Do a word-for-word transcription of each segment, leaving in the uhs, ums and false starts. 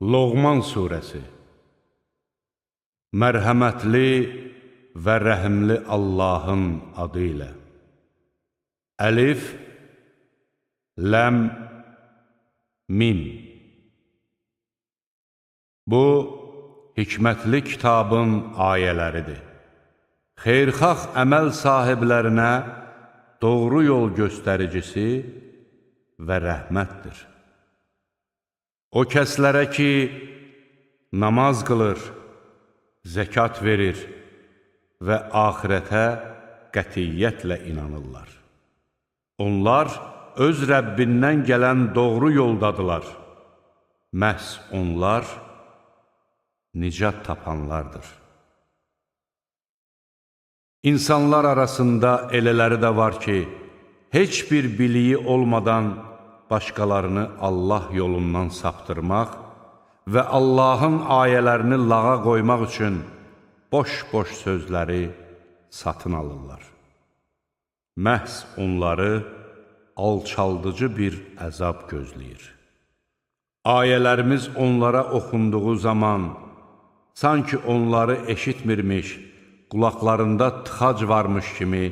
Loğman Suresi. Mərhəmətli və rəhimli Allahın adı ilə. Əlif, Ləm, Mim. Bu, hikmətli kitabın ayələridir. Xeyrxax əməl sahiblərinə doğru yol göstəricisi və rəhmətdir. O kəslərə ki, namaz qılır, zəkat verir və axirətə qətiyyətlə inanırlar. Onlar öz Rəbbindən gələn doğru yoldadılar. Məhz onlar nicat tapanlardır. İnsanlar arasında elələri də var ki, heç bir biliyi olmadan başqalarını Allah yolundan saptırmaq və Allahın ayələrini lağa qoymaq üçün boş-boş sözləri satın alırlar. Məhz onları alçaldıcı bir əzab gözləyir. Ayələrimiz onlara oxunduğu zaman sanki onları eşitmirmiş, qulaqlarında tıxac varmış kimi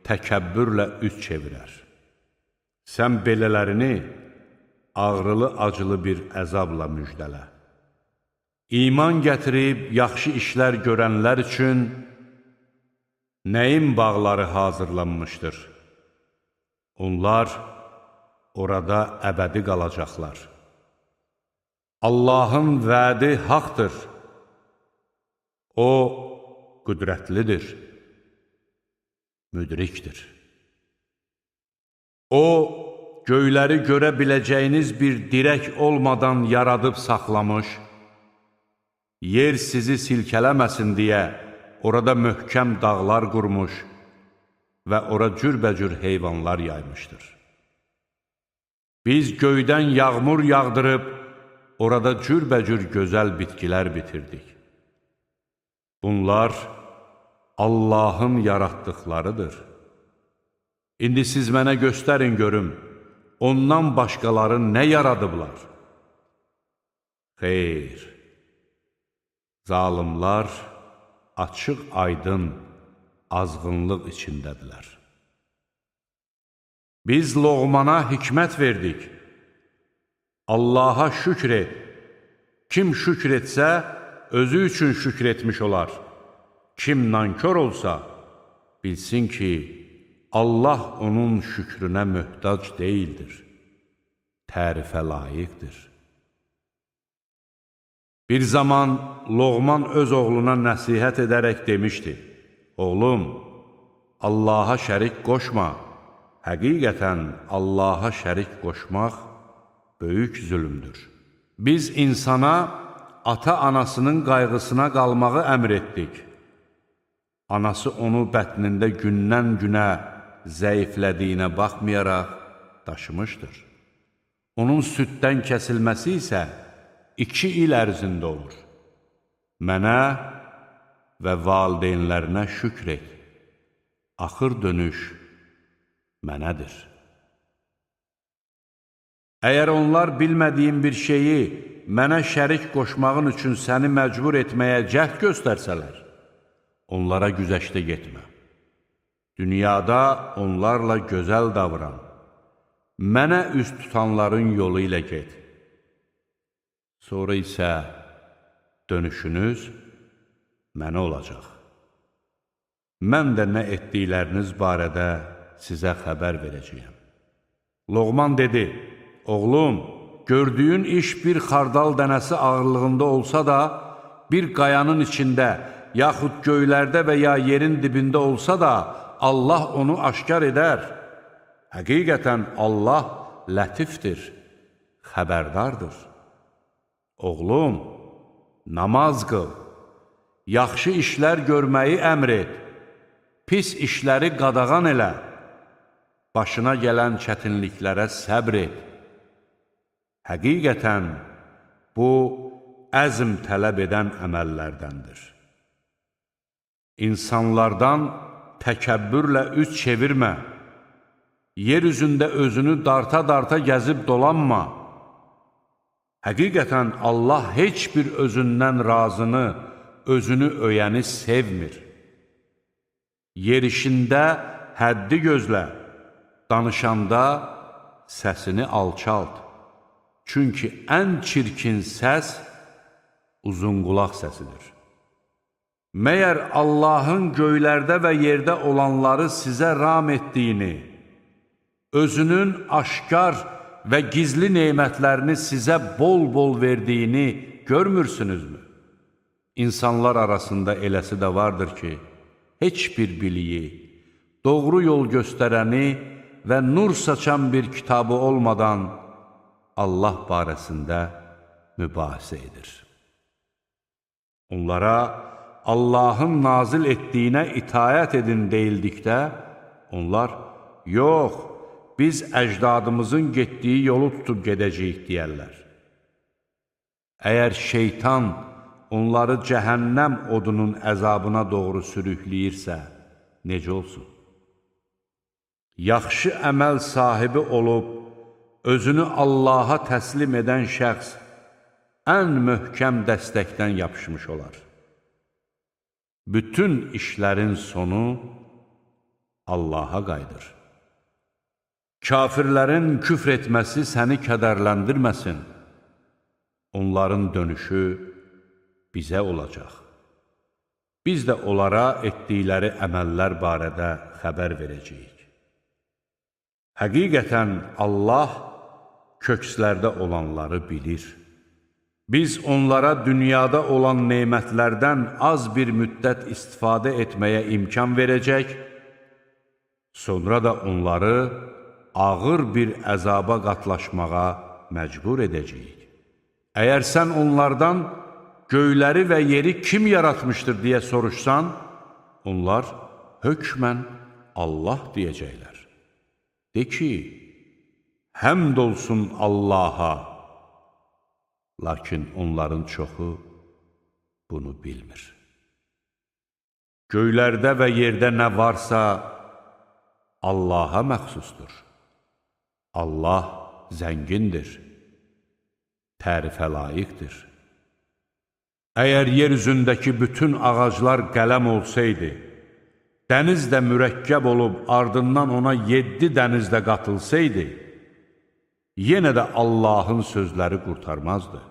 təkəbbürlə üz çevirər. Sən belələrini ağrılı-acılı bir əzabla müjdələ. İman gətirib yaxşı işlər görənlər üçün nəyin bağları hazırlanmışdır? Onlar orada əbədi qalacaqlar. Allahın vədi haqdır. O, qüdrətlidir, müdrikdir. O, göyləri görə biləcəyiniz bir dirək olmadan yaradıb saxlamış, yer sizi silkələməsin deyə orada möhkəm dağlar qurmuş və ora cürbəcür heyvanlar yaymışdır. Biz göydən yağmur yağdırıb, orada cürbəcür gözəl bitkilər bitirdik. Bunlar Allahın yaratdıqlarıdır. İndi siz mənə göstərin görüm, ondan başqaları nə yaradıblar? Xeyr, zalimlar açıq aydın azğınlıq içindədirlər. Biz Loğmana hikmət verdik. Allaha şükr et. Kim şükr etsə, özü üçün şükr etmiş olar. Kim nankör olsa, bilsin ki, Allah onun şükrünə möhtac deyildir, tərifə layiqdir. Bir zaman Loğman öz oğluna nəsihət edərək demişdi, oğlum, Allaha şərik qoşma, həqiqətən Allaha şərik qoşmaq böyük zülümdür. Biz insana ata-anasının qayğısına qalmağı əmr etdik. Anası onu bətnində gündən-günə zəiflədiyinə baxmayaraq daşımışdır. Onun süddən kəsilməsi isə iki il ərzində olur. Mənə və valideynlərinə şükr et. Axır dönüş mənədir. Əgər onlar bilmədiyim bir şeyi mənə şərik qoşmağın üçün səni məcbur etməyə cəhd göstərsələr, onlara güzəşdə getmə. Dünyada onlarla gözəl davran. Mənə üst tutanların yolu ilə get. Sonra isə dönüşünüz mənə olacaq. Mən də nə etdikləriniz barədə sizə xəbər verəcəyəm. Loğman dedi, oğlum, gördüyün iş bir xardal dənəsi ağırlığında olsa da, bir qayanın içində, yaxud göylərdə və ya yerin dibində olsa da, Allah onu aşkar edər. Həqiqətən Allah lətifdir, xəbərdardır. Oğlum, namaz qıl, yaxşı işlər görməyi əmr et, pis işləri qadağan elə, başına gələn çətinliklərə səbr et. Həqiqətən, bu, əzm tələb edən əməllərdəndir. İnsanlardan təkəbbürlə üz çevirmə, yer üzündə özünü darta-darta gəzib dolanma. Həqiqətən Allah heç bir özündən razını, özünü öyəni sevmir. Yerişində həddi gözlə, danışanda səsini alçalt. Çünki ən çirkin səs uzunqulaq səsidir. Məyər Allahın göylərdə və yerdə olanları sizə ram etdiyini, özünün aşkar və gizli nemətlərini sizə bol-bol verdiyini görmürsünüzmü? İnsanlar arasında eləsi də vardır ki, heç bir biliyi, doğru yol göstərəni və nur saçan bir kitabı olmadan Allah barəsində mübahisə edir. Onlara Allahın nazil etdiyinə itayət edin deyildikdə, onlar, yox, biz əcdadımızın getdiyi yolu tutub gedəcəyik deyərlər. Əgər şeytan onları cəhənnəm odunun əzabına doğru sürükləyirsə, necə olsun? Yaxşı əməl sahibi olub, özünü Allaha təslim edən şəxs ən möhkəm dəstəkdən yapışmış olar. Bütün işlərin sonu Allaha qayıdır. Kafirlərin küfr etməsi səni kədərləndirməsin. Onların dönüşü bizə olacaq. Biz də onlara etdikləri əməllər barədə xəbər verəcəyik. Həqiqətən Allah kökslərdə olanları bilir. Biz onlara dünyada olan nemətlərdən az bir müddət istifadə etməyə imkan verəcək, sonra da onları ağır bir əzaba qatlaşmağa məcbur edəcəyik. Əgər sən onlardan göyləri və yeri kim yaratmışdır deyə soruşsan, onlar hökmən Allah deyəcəklər. De ki, həmd olsun Allaha, lakin onların çoxu bunu bilmir. Göylərdə və yerdə nə varsa Allaha məxsusdur. Allah zəngindir, tərifə layiqdir. Əgər yer üzündəki bütün ağaclar qələm olsaydı, dəniz də mürəkkəb olub ardından ona yeddi dəniz də qatılsaydı, yenə də Allahın sözləri qurtarmazdı.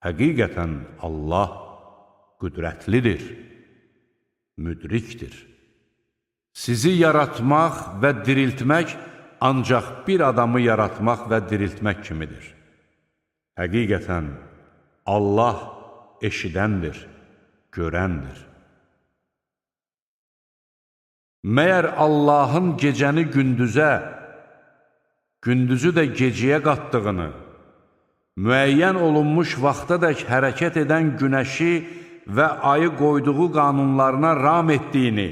Həqiqətən Allah qüdrətlidir, müdrikdir. Sizi yaratmaq və diriltmək ancaq bir adamı yaratmaq və diriltmək kimidir. Həqiqətən Allah eşidəndir, görəndir. Məyər Allahın gecəni gündüzə, gündüzü də gecəyə qatdığını, müəyyən olunmuş vaxtadək hərəkət edən günəşi və ayı qoyduğu qanunlarına ram etdiyini,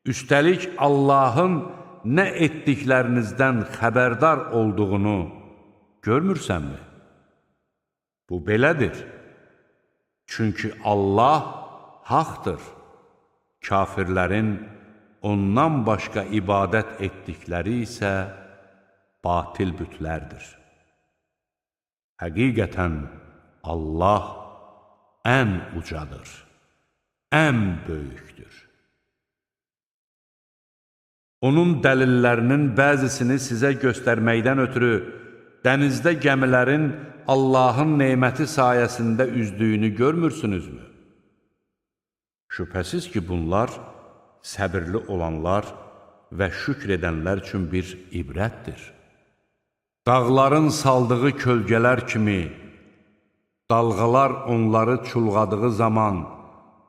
üstəlik Allahın nə etdiklərinizdən xəbərdar olduğunu görmürsənmi? Bu belədir. Çünki Allah haqdır. Kafirlərin ondan başqa ibadət etdikləri isə batil bütlərdir. Həqiqətən Allah ən ucadır, ən böyükdür. Onun dəlillərinin bəzisini sizə göstərməkdən ötürü dənizdə gəmilərin Allahın neməti sayəsində üzdüyünü görmürsünüzmü? Şübhəsiz ki, bunlar səbirli olanlar və şükr edənlər üçün bir ibrətdir. Dağların saldığı kölgələr kimi, dalğalar onları çulğadığı zaman,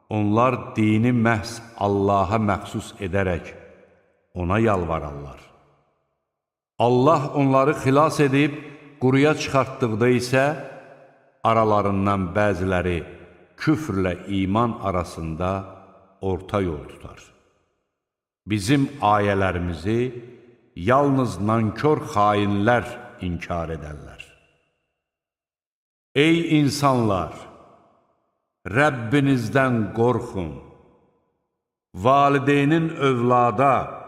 onlar dini məhz Allaha məxsus edərək ona yalvararlar. Allah onları xilas edib, quruya çıxartdıqda isə, aralarından bəziləri küfrlə iman arasında orta yol tutar. Bizim ayələrimizi yalnız nankör xainlər inkar edərlər. Ey insanlar! Rəbbinizdən qorxun. Valideynin övlada,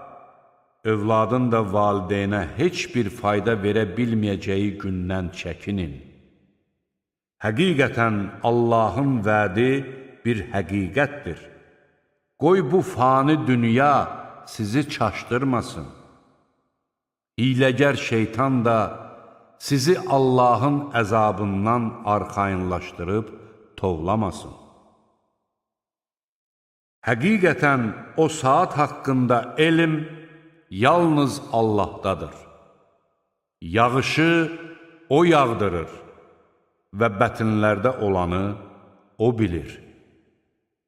övladın da valideynə heç bir fayda verə bilməyəcəyi gündən çəkinin. Həqiqətən Allahın vədi bir həqiqətdir. Qoy bu fani dünya sizi çaşdırmasın. Hiləgər şeytan da sizi Allahın əzabından arxayınlaşdırıb tovlamasın. Həqiqətən o saat haqqında elm yalnız Allahdadır. Yağışı O yağdırır və bətinlərdə olanı O bilir.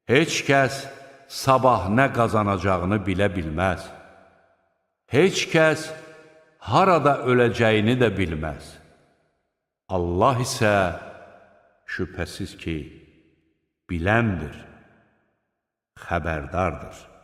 Heç kəs sabah nə qazanacağını bilə bilməz. Heç kəs harada öləcəyini də bilməz. Allah isə şübhəsiz ki, biləndir, xəbərdardır.